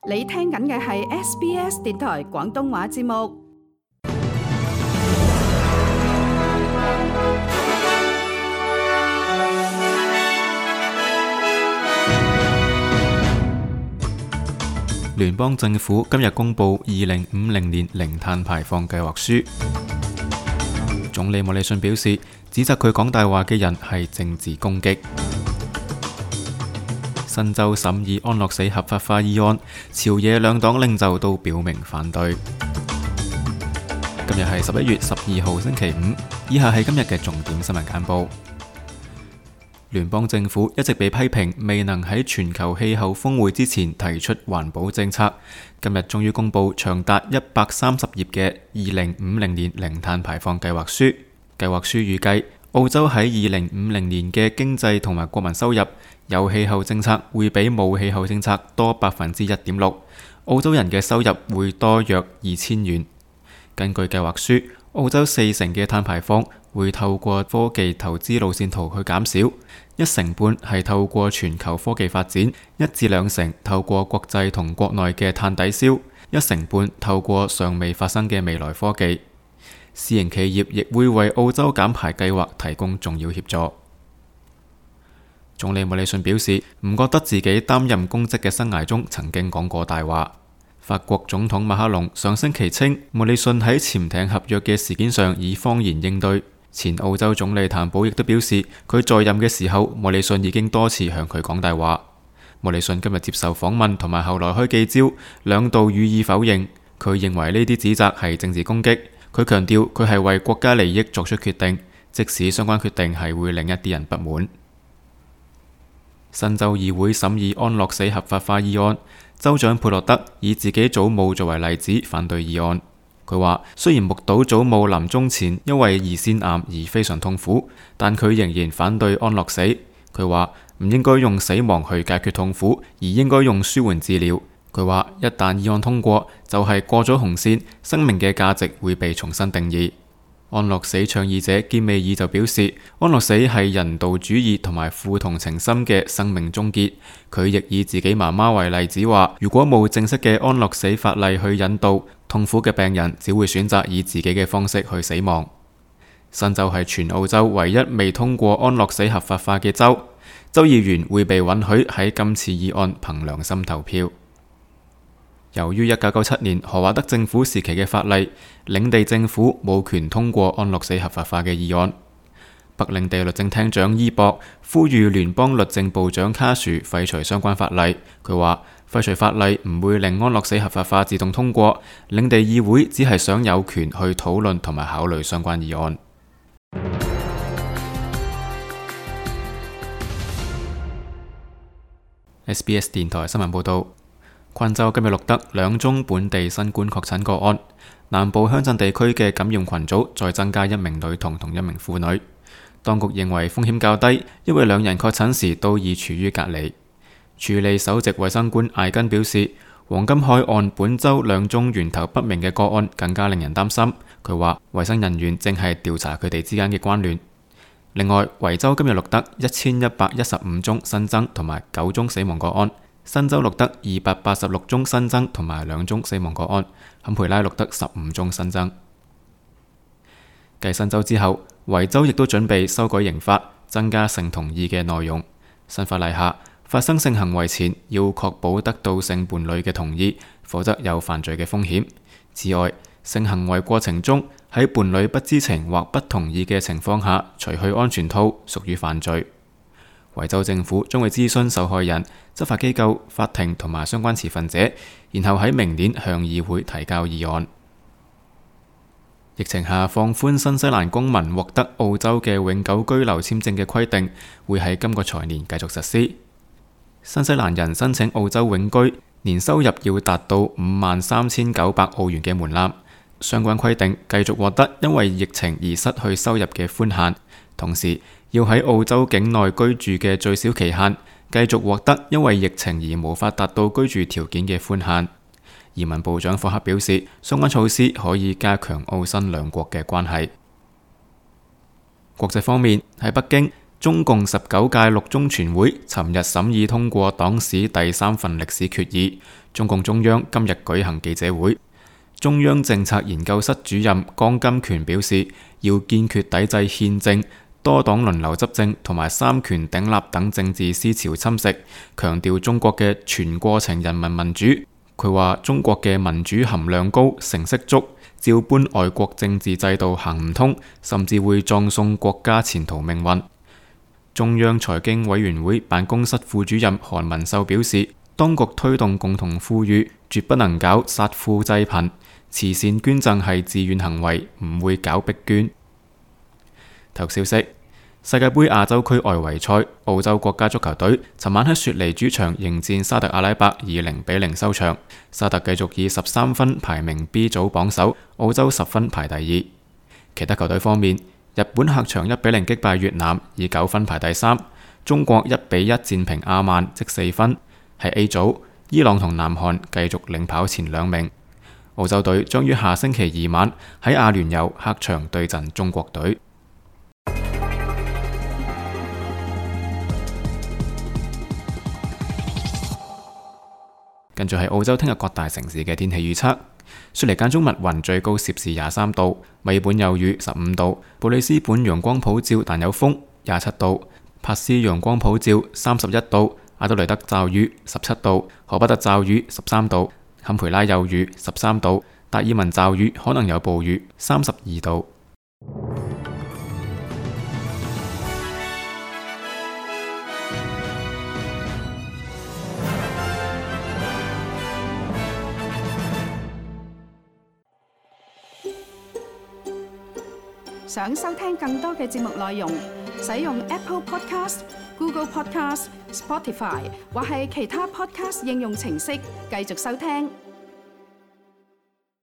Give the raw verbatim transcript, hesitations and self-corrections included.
你聽緊嘅係 S B S 電台廣東話節目。聯邦政府今日公布二零五零年零碳排放計劃書。總理莫里遜表示，指責佢講大話嘅人係政治攻擊。新州審議安樂死合法化議案，朝野兩黨領袖都表明反對。今日係十一月十二號星期五，以下係今日嘅重點新聞簡報。聯邦政府一直被批評未能喺全球氣候峰會之前提出環保政策，今日終於公布長達一百三十頁嘅二零五零年零碳排放計劃書。計劃書預計澳洲喺二零五零年嘅經濟同埋國民收入，有氣候政策會比冇氣候政策多百分之一點六，澳洲人嘅收入會多約二千元。根據計劃書，澳洲四成嘅碳排放會透過科技投資路線圖去減少，一成半係透過全球科技發展，一至兩成透過國際同國內嘅碳抵消，一成半透過尚未發生嘅未來科技。私營企業亦會為澳洲減排計劃提供重要協助。總理莫里遜表示，唔覺得自己擔任公職嘅生涯中曾經講過大話。法國總統馬克龍上星期稱，莫里遜喺潛艇合約嘅事件上以謊言應對。前澳洲總理譚寶亦都表示，佢在任嘅時候，莫里遜已經多次向佢講大話。莫里遜今日接受訪問同埋後來開記招，兩度予以否認。佢認為呢啲指責係政治攻擊。佢強調佢係為國家利益作出決定，即使相關決定係會令一啲人不滿。新州議會審議安樂死合法化議案，州長佩洛德以自己祖母作為例子反對議案。佢話雖然目睹祖母臨終前因為胰腺癌而非常痛苦，但佢仍然反對安樂死。佢話唔應該用死亡去解決痛苦，而應該用舒緩治療。佢話一旦議案通過，就係過咗紅線，生命嘅價值會被重新定義。安樂死倡議者堅美爾就表示，安樂死係人道主義同埋富同情心嘅生命終結。佢亦以自己媽媽為例子話，如果冇正式嘅安樂死法例去引導，痛苦嘅病人只會選擇以自己嘅方式去死亡。新州係全澳洲唯一未通過安樂死合法化嘅州，州議員會被允許喺今次議案憑良心投票。由於一九九七年何華德政府時期嘅法例，領地政府冇權通過安樂死合法化嘅議案。北領地律政廳長伊博呼籲聯邦律政部長卡殊廢除相關法例。佢話廢除法例唔會令安樂死合法化自動通過，領地議會只係想有權去討論同埋考慮相關議案。S B S 電台新聞報道。昆州今日錄得兩宗本地新冠確診個案，南部鄉鎮地區嘅感染群組再增加一名女童同一名婦女。當局認為風險較低，因為兩人確診時都已處於隔離。處理首席衛生官艾根表示，黃金海岸本州兩宗源頭不明嘅個案更加令人擔心。佢話衛生人員正係調查佢哋之間嘅關聯。另外，維州今日錄得一千一百一十五宗新增同埋九宗死亡個案。新州錄得二百八十六宗新增同埋兩宗死亡個案，坎培拉錄得十五宗新增。繼新州之後，維州亦都準備修改刑法，增加性同意嘅內容。新法例下，發生性行為前要確保得到性伴侶嘅同意，否則有犯罪嘅風險。此外，性行為過程中喺伴侶不知情或不同意嘅情況下除去安全套，屬於犯罪。維州政府將會諮詢受害人、執法機構、法庭同埋相關持份者，然後喺明年向議會提交議案。疫情下放寬新西蘭公民獲得澳洲嘅永久居留簽證嘅規定，會喺今個財年繼續實施。新西蘭人申請澳洲永居，年收入要達到五萬三千九百澳元嘅門檻。相關規定繼續獲得因為疫情而失去收入嘅寬限，同時要喺澳洲境內居住嘅最少期限繼續獲得因為疫情而無法達到居住條件嘅寬限。移民部長霍克表示，相關措施可以加強澳新兩國嘅關係。國際方面，喺北京，中共十九屆六中全會尋日審議通過黨史第三份歷史決議。中共中央今日舉行記者會，中央政策研究室主任江金權表示，要堅決抵制憲政、多黨輪流執政同埋三權鼎立等政治思潮侵蝕，強調中國嘅全過程人民民主。佢話中國嘅民主含量高、成色足，照搬外國政治制度行唔通，甚至會葬送國家前途命運。中央財經委員會辦公室副主任韓文秀表示，當局推動共同富裕，絕不能搞殺富濟貧，慈善捐贈係自願行為，唔會搞逼捐。頭消息：世界盃亞洲區外圍賽，澳洲國家足球隊尋晚喺雪梨主場迎戰沙特阿拉伯，以零比零收場。沙特繼續以十三分排名 B 組榜首，澳洲十分排第二。其他球隊方面，日本客場一比零擊敗越南，以九分排第三。中國一比一戰平阿曼，積四分。喺 A 組，伊朗同南韓繼續領跑前兩名。澳洲隊將於下星期二晚喺阿聯酋客場對陣中國隊。跟住係澳洲聽日各大城市嘅天氣預測：雪梨間中密雲，最高攝氏廿三度；墨爾本有雨，十五度；布里斯本陽光普照但有風，廿七度；珀斯陽光普照，三十一度；阿德雷德驟雨，十七度；荷巴特驟雨，十三度；坎培拉有雨，十三度；達爾文驟雨，可能有暴雨，三十二度。想收聽更多嘅節目內容，使用 Apple Podcast、Google Podcast、Spotify 或係其他 Podcast 應用程式繼續收聽。